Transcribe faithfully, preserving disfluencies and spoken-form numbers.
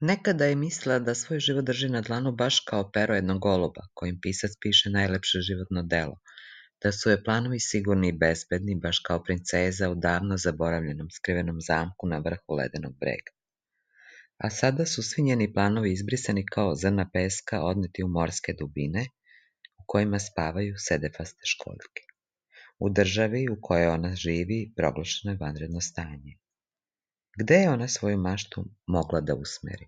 Nekada je mislila da svoj život drži na dlanu baš kao pero jednog goluba, kojim pisac piše najlepše životno delo, da su joj planovi sigurni i bezbedni, baš kao princeza u davno zaboravljenom skrivenom zamku na vrhu ledenog brega. A sada su svi njeni planovi izbrisani kao zrna peska odneti u morske dubine, u kojima spavaju sedefaste školjke. U državi u kojoj ona živi proglašeno je vanredno stanje. Gde je ona svoju maštu mogla da usmeri?